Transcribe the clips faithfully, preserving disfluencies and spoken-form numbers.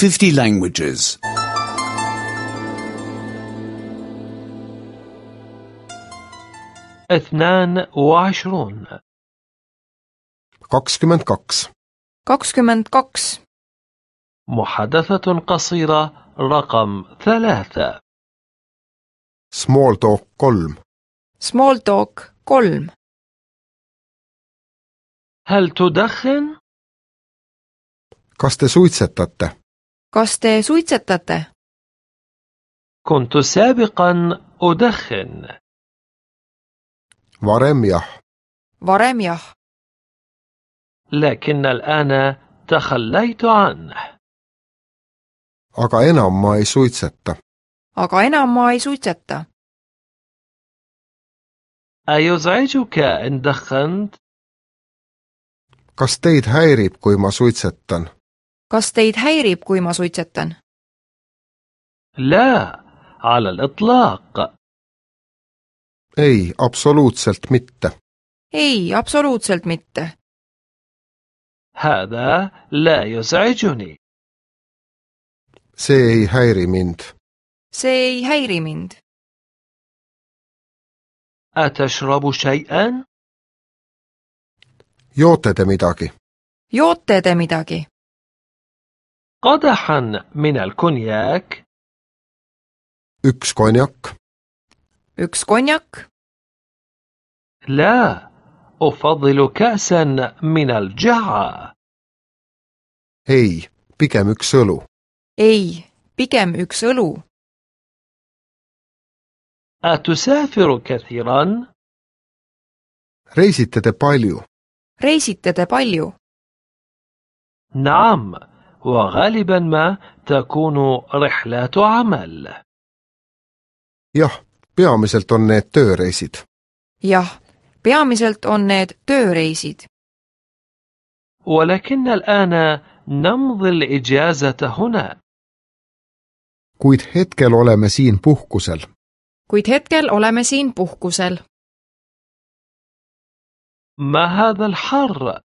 fifty languages. اثنان وعشرون kakskümmend kaks. kakskümmend kaks. محادثة قصيرة رقم ثلاثة. Small talk kolm. Small talk kolm. هل تدخن؟ Kas te suitsetate? Kas te suitsetate? كنت سابقا أدخن. Varem jah. Varem jah. لكن الآن تخليت عنه. Aga enam ma ei suitseta. Aga enam ma ei suitseta. أيزعجك إن دخنت؟ Kas teid häirib, kui ma suitsetan? Kas teid häirib, kui ma suitsetan? لا على الإطلاق. Ei, absoluutselt mitte. Ei, absoluutselt mitte. هذا لا يزعجني. See ei häiri mind. See ei häiri mind. أتشرب شيئا؟ Joote te midagi? Joote te midagi? قدحا من الكونياك؟ Üks konjak? Üks konjak? لا، أفضل كأسا من الجعة. Ei, pigem üks õlu. Ei, pigem üks õlu. أتسافر كثيرا؟ Reisite te palju? Reisite te palju? نعم، وغالبا ما تكون رحلات عمل. Jah, peamiselt on need tööreisid. Jah, peamiselt on need tööreisid. ولكن الآن نمضي الإجازة هنا. Kuid hetkel oleme siin puhkusel. Kuid hetkel oleme siin puhkusel. ما هذا الحر؟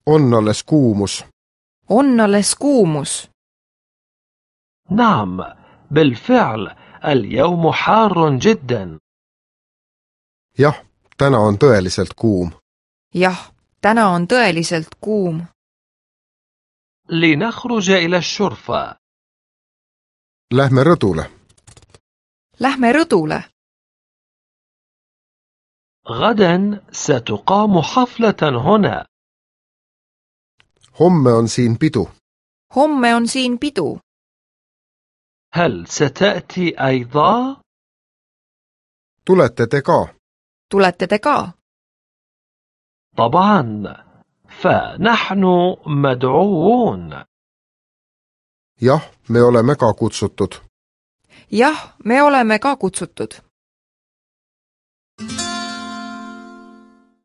On alles kuumus. On alles kuumus. نعم، بالفعل اليوم حار جدا. Jah, täna on tõeliselt kuum. Jah, täna on tõeliselt kuum. لنخرج إلى الشرفة. Lähme rõdule. Lähme rõdule. غدا ستقام حفلة هنا. Homme on siin pidu. Homme on siin pidu. هل ستأتي أيضا؟ Tulete te ka? Tulete te ka? طبعا، فنحن مدعوون. Jah, me oleme ka kutsutud. Jah, me oleme ka kutsutud.